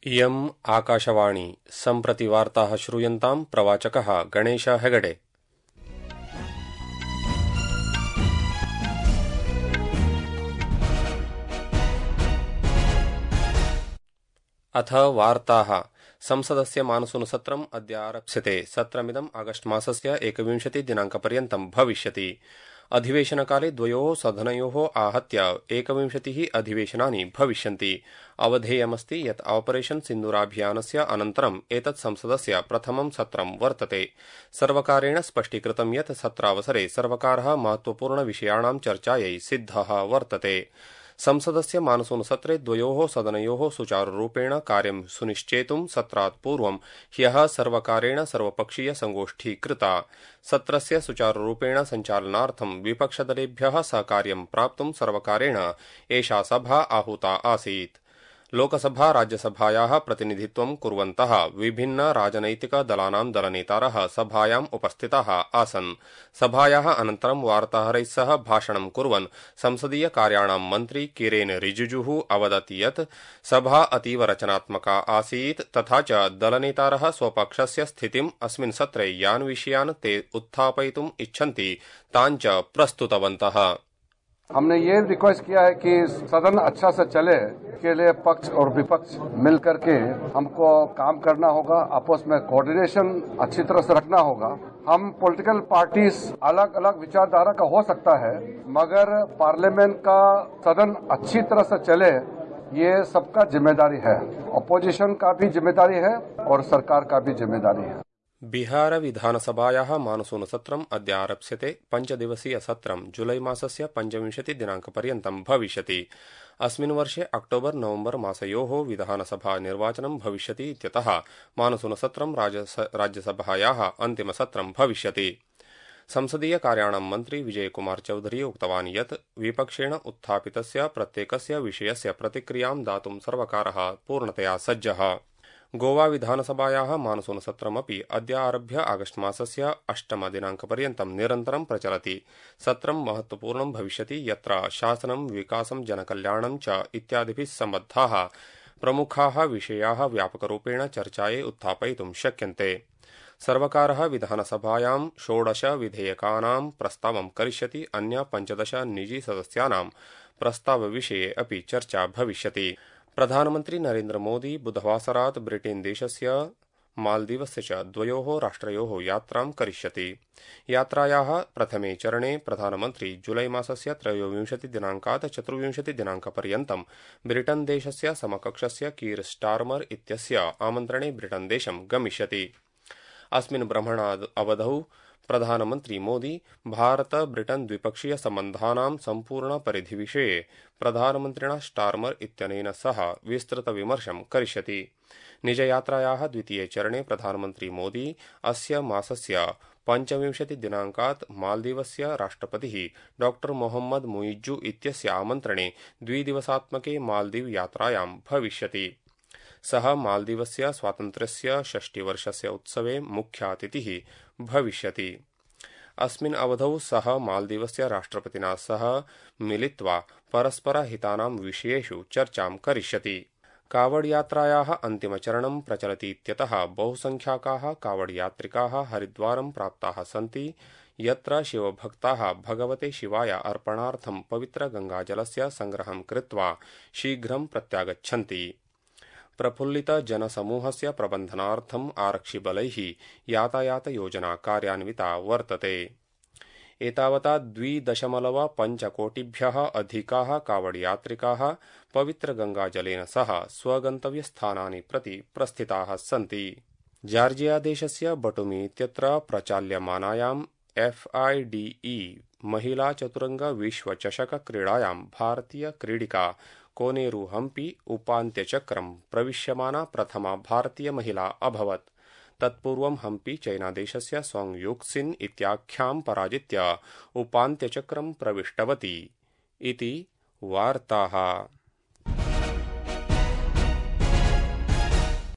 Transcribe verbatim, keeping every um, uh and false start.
इयम् आकाशवाणी सम्प्रति वार्ताः श्रूयन्ताम् प्रवाचकः गणेश हेगडे। अथ वार्ताः। संसदस्य मानसूनसत्रम् अद्य आरप्स्यते। सत्रमिदम् आगस्ट् मासस्य एकविंशति दिनाङ्कपर्यन्तं भविष्यति। अधिवेशनकाले द्वयोः सदनयोः आहत्य एकविंशतिः अधिवेशनानि भविष्यन्ति। अवधेयमस्ति यत् ऑपरेशन् सिन्दूराभियानस्य अनन्तरम् एतत् संसदस्य प्रथमं सत्रं वर्तते। सर्वकारेण स्पष्टीकृतं यत् सत्रावसरे सर्वकारः महत्वपूर्णविषयाणां चर्चायै सिद्धः वर्तते। संसदस्य मानसूनसत्रे द्वयोः सदनयोः सुचारुरूपेण कार्यं सुनिश्चेतुं सत्रात् पूर्वं ह्यः सर्वकारेण सर्वपक्षीय संगोष्ठी कृता। सत्रस्य सुचारुरूपेण सञ्चालनार्थं विपक्षदलेभ्यः सहकार्यं प्राप्तुं सर्वकारेण एषा सभा आहूता आसीत्। लोकसभा राज्यसभायाः प्रतिनिधित्वं कुर्वन्तः विभिन्न राजनैतिकदलानां दलनेतारः सभायाम् उपस्थिताः आसन्। सभायाः अनन्तरं वार्ताहरैः सह भाषणं कुर्वन् संसदीय कार्याणां मन्त्री किरेन रिजिजुः अवदत् यत् सभा अतीव रचनात्मका आसीत् तथा च दलनेतारः स्वपक्षस्य स्थितिम् अस्मिन् सत्रे यान् विषयान् ते उत्थापयितुम् इच्छन्ति तान् च प्रस्तुतवन्तः। हमने ये रिक्वेस्ट किया है कि सदन अच्छा से चले के लिए पक्ष और विपक्ष मिल करके हमको काम करना होगा, आपस में कोऑर्डिनेशन अच्छी तरह से रखना होगा। हम पॉलिटिकल पार्टीज अलग अलग विचारधारा का हो सकता है, मगर पार्लियामेंट का सदन अच्छी तरह से चले ये सबका जिम्मेदारी है। अपोजिशन का भी जिम्मेदारी है और सरकार का भी जिम्मेदारी है। बिहार विधानसभायाः मानसूनसत्रम् अद्य आरप्स्यते। पञ्चदिवसीय सत्रं जुलै मासस्य पञ्चविंशति दिनाङ्कपर्यन्तं भविष्यति। अस्मिन् वर्षे अक्टोबर् नवम्बर् मासयोः विधानसभा निर्वाचनं भविष्यति इत्यतः मानसूनसत्रं राज्यसभायाः अन्तिमसत्रं भविष्यति। संसदीय कार्याणां मन्त्री विजयकुमार चौधरी उक्तवान् यत् विपक्षेण उत्थापितस्य प्रत्येकस्य विषयस्य प्रतिक्रियां दातुं सर्वकारः पूर्णतया सज्जः। गोवा विधानसभायाः मानसूनसत्रमपि अद्य आरभ्य आगस्ट् मासस्य अष्टमदिनाङ्कपर्यन्तं निरन्तरं प्रचलति। सत्रं महत्वपूर्णं भविष्यति यत्र शासनं विकासं जनकल्याणं च इत्यादिभिः सम्बद्धाः प्रमुखाः विषयाः व्यापकरूपेण चर्चायै उत्थापयितुं शक्यन्ते। सर्वकारः विधानसभायां षोडश विधेयकानां प्रस्तावं करिष्यति। अन्य पञ्चदश निजी सदस्यानां प्रस्तावविषये अपि चर्चा भविष्यति। प्रधानमन्त्री नरेन्द्र मोदी बुधवासरात् ब्रिटेन देशस्य मालदीवस्य च द्वयोः राष्ट्रयोः यात्रां करिष्यति। यात्रायाः प्रथमे चरणे प्रधानमन्त्री जुलै मासस्य त्रयोविंशति दिनाङ्कात् चतुर्विंशति दिनाङ्कपर्यन्तं ब्रिटन देशस्य समकक्षस्य कीर स्टार्मर इत्यस्य आमन्त्रणे ब्रिटन देशं गमिष्यति। अस्मिन् भ्रमणावधौ प्रधानमन्त्री मोदी भारत ब्रिटन द्विपक्षीय सम्बन्धानां सम्पूर्णपरिधिविषये प्रधानमन्त्रिणा स्टार्मर इत्यनेन सह विस्तृतविमर्शं करिष्यति। निजयात्रायाः द्वितीये चरणे प्रधानमन्त्री मोदी अस्य मासस्य पञ्चविंशति दिनाङ्कात् मालदीवस्य राष्ट्रपतिः डॉ मोहम्मद मुइज्जु इत्यस्य आमन्त्रणे द्विदिवसात्मके मालदीव यात्रायां भविष्यति। सः मालदीवस्य स्वातन्त्र्यस्य षष्टिवर्षस्य उत्सवे मुख्यातिथिः भविष्यति। अस्मिन् अवधौ सः मालदीवस्य राष्ट्रपतिना सह मिलित्वा परस्परहितानां विषयेषु चर्चां करिष्यति। कावडयात्रायाः अन्तिमचरणं प्रचलतीत्यतः बहुसंख्याकाः कावडयात्रिकाः हरिद्वारं प्राप्ताः सन्ति, यत्र शिवभक्ताः भगवते शिवाय अर्पणार्थं पवित्रगङ्गाजलस्य संग्रहं कृत्वा शीघ्रं प्रत्यागच्छन्ति। प्रफुल्लित जनसमूहस्य प्रबन्धनार्थम् आरक्षिबलैः यातायातयोजना कार्यान्विता वर्तते। एतावता द्विदशमलव पञ्चकोटिभ्यः अधिकाः कावडयात्रिकाः पवित्रगङ्गाजलेन सह स्वगन्तव्यस्थानानि प्रति प्रस्थिताः सन्ति। जार्जिया देशस्य बटुमी इत्यत्र प्रचाल्यमानायाम् एफ आई डी ई महिला चतुरंग विश्वचषक क्रीडायां भारतीय क्रीडिका कोनेरू हम्पी उपान्त्यचक्रं प्रविश्यमाना प्रथमा भारतीय महिला अभवत्। तत्पूर्वं हम्पी चैनादेशस्य सोंग युक्सिन् इत्याख्यां पराजित्य उपान्त्यचक्रं प्रविष्टवती। इति वार्ताः।